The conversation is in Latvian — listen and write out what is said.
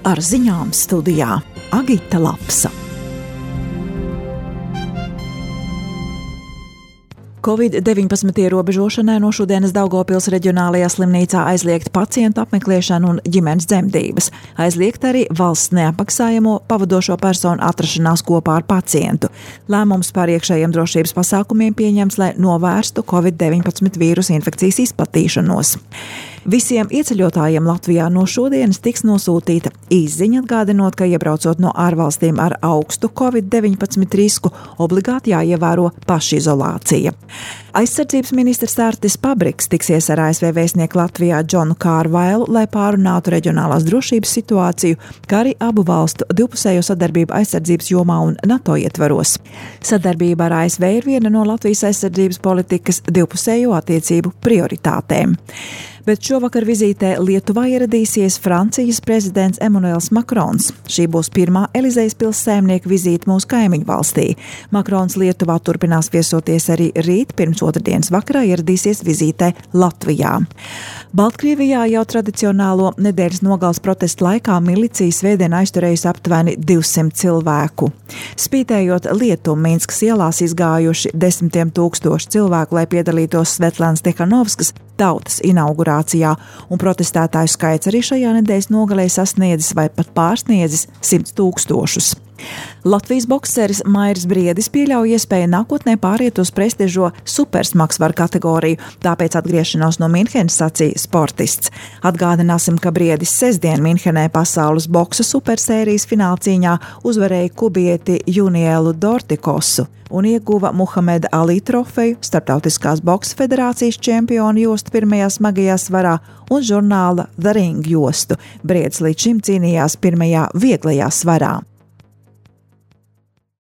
Ar ziņām studijā Agita Lapsa. Covid-19 ierobežošanai no šodienas Daugavpils reģionālajā slimnīcā aizliegt pacientu apmeklēšanu un ģimenes dzemdības. Aizliegt arī valsts neapmaksājamo pavadošo personu atrašanās kopā ar pacientu. Lēmums par iekšējiem drošības pasākumiem pieņems, lai novērstu Covid-19 vīrusu infekcijas izplatīšanos. Visiem ieceļotājiem Latvijā no šodienas tiks nosūtīta īsziņa atgādinot, ka iebraucot no ārvalstīm ar augstu Covid-19 risku, obligāti jāievēro pašizolācija. Aizsardzības ministrs Artis Pabriks tiksies ar ASV vēstnieku Latvijā Džonu Kārvailu, lai pārunātu reģionālās drošības situāciju, kā arī abu valstu divpusējo sadarbību aizsardzības jomā un NATO ietvaros. Sadarbība ar ASV ir viena no Latvijas aizsardzības politikas divpusējo attiecību prioritātēm. Bet šovakar vizītē Lietuvā ieradīsies Francijas prezidents Emmanuels Macrons. Šī būs pirmā Elizejas pils saimnieka vizīte mūsu kaimiņu valstī. Macrons Lietuvā turpinās viesoties arī rīt, pirms otrdienas vakarā ieradīsies vizītē Latvijā. Baltkrievijā jau tradicionālo nedēļas nogales protestu laikā milicija svētdien aizturējusi aptuveni 200 cilvēku. Spītējot lietumu, Minskas ielās izgājuši 10 000 cilvēku, lai piedalītos Svetlanas Tihanovskas tautas inaugurācijā, un protestētāju skaits arī šajā nedēļas nogalē sasniedzis vai pat pārsniedzis 100 000. Latvijas bokseris Mairis Briedis pieļauj iespēju nākotnē pāriet uz prestižo supersmagsvaru kategoriju, tāpēc atgriešanos no Minhenes sacīja sportists. Atgādināsim, ka Briedis sestdien Minhenē pasaules boksa supersērijas finālcīņā uzvarēja kubieti Junielu Dortikosu un ieguva Muhameda Ali trofeju, Starptautiskās boksa federācijas čempionu jostu pirmajā smagajā svarā un žurnāla The Ring jostu. Briedis līdz šim cīnījās pirmajā vieglajā svarā.